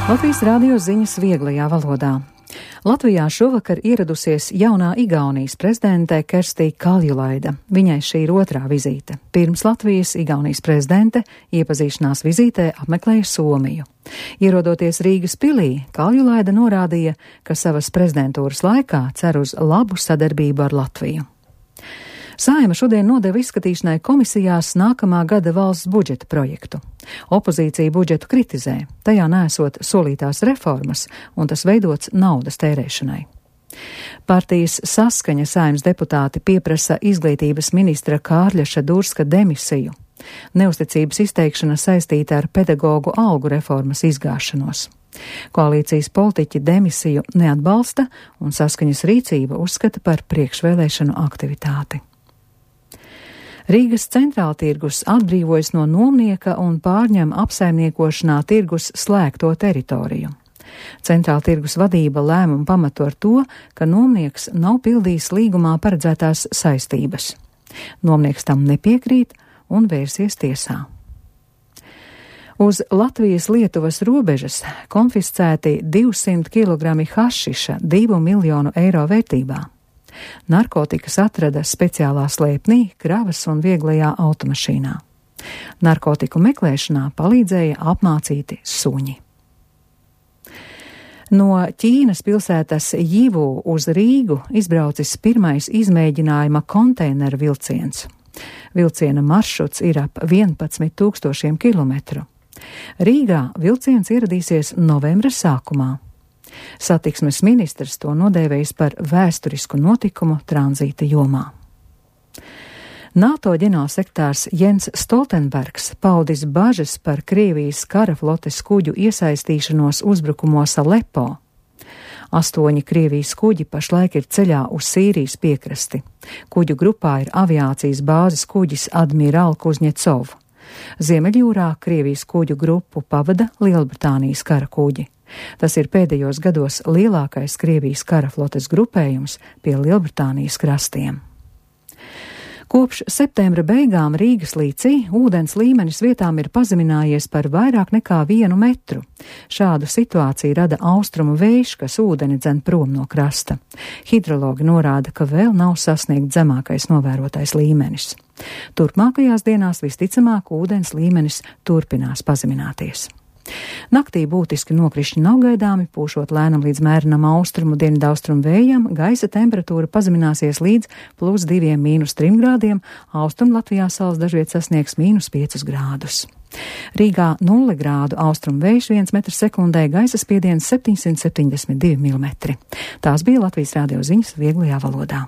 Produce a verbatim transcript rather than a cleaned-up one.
Latvijas radio ziņas vieglajā valodā. Latvijā šovakar ieradusies jaunā Igaunijas prezidente Kerstī Kaljulaida. Viņai šī ir otrā vizīte. Pirms Latvijas Igaunijas prezidente iepazīšanās vizītē apmeklēja Somiju. Ierodoties Rīgas pilī, Kaljulaida norādīja, ka savas prezidentūras laikā cer uz labu sadarbību ar Latviju. Saeima šodien nodeva izskatīšanai komisijās nākamā gada valsts budžeta projektu. Opozīcija budžetu kritizē, tajā nesot solītās reformas, un tas veidots naudas tērēšanai. Partijas Saskaņa Saeimas deputāti pieprasa izglītības ministra Kārļa Šadurska demisiju. Neusticības izteikšana saistīta ar pedagogu algu reformas izgāšanos. Koalīcijas politiķi demisiju neatbalsta, un Saskaņas rīcību uzskata par priekšvēlēšanu aktivitāti. Rīgas centrāltirgus atbrīvojas no nomnieka un pārņem apsaimniekošanā tirgus slēgto teritoriju. Centrāltirgus vadība lēmumu pamato ar to, ka nomnieks nav pildījis līgumā paredzētās saistības. Nomnieks tam nepiekrīt un vērsies tiesā. Uz Latvijas-Lietuvas robežas konfiscēti divsimt kilogrami hašiša divu miljonu eiro vērtībā. Narkotikas atrada speciālā slēpnī, kravas un vieglajā automašīnā. Narkotiku meklēšanā palīdzēja apmācīti suņi. No Ķīnas pilsētas Jivu uz Rīgu izbraucis pirmais izmēģinājuma konteineru vilciens. Vilciena maršruts ir ap vienpadsmit tūkstošiem kilometru. Rīgā vilciens ieradīsies novembra sākumā. Satiksmes ministrs to nodēvējis par vēsturisku notikumu tranzīta jomā. NATO ģenerālsekretārs Jens Stoltenbergs paudis bažas par Krievijas karaflotes kuģu iesaistīšanos uzbrukumos Alepo. Astoņi Krievijas kuģi pašlaik ir ceļā uz Sīrijas piekrasti. Kuģu grupā ir aviācijas bāzes kuģis Admiral Kuzņecov. Ziemeļjūrā Krievijas kuģu grupu pavada Lielbritānijas kara kuģi. Tas ir pēdējos gados lielākais Krievijas karaflotes grupējums pie Lielbritānijas krastiem. Kopš septembra beigām Rīgas līcī ūdens līmenis vietām ir pazeminājies par vairāk nekā vienu metru. Šādu situāciju rada austrumu vējš, kas ūdeni dzen prom no krasta. Hidrologi norāda, ka vēl nav sasniegts zemākais novērotais līmenis. Turpmākajās dienās visticamāk ūdens līmenis turpinās pazemināties. Naktī būtiski nokrišņi nav gaidāmi, pūšot lēnam līdz mērenam austrumu dienvidaustrumu vējam, gaisa temperatūra pazemināsies līdz plus diviem mīnus trim grādiem, austrumu Latvijā salas dažviet sasniegs mīnus piecus grādus. Rīgā nulle grādu austrumu vējš viens metrs sekundē, gaisa spiediens septiņsimt septiņdesmit divi milimetri. Tās bija Latvijas radio ziņas vieglajā valodā.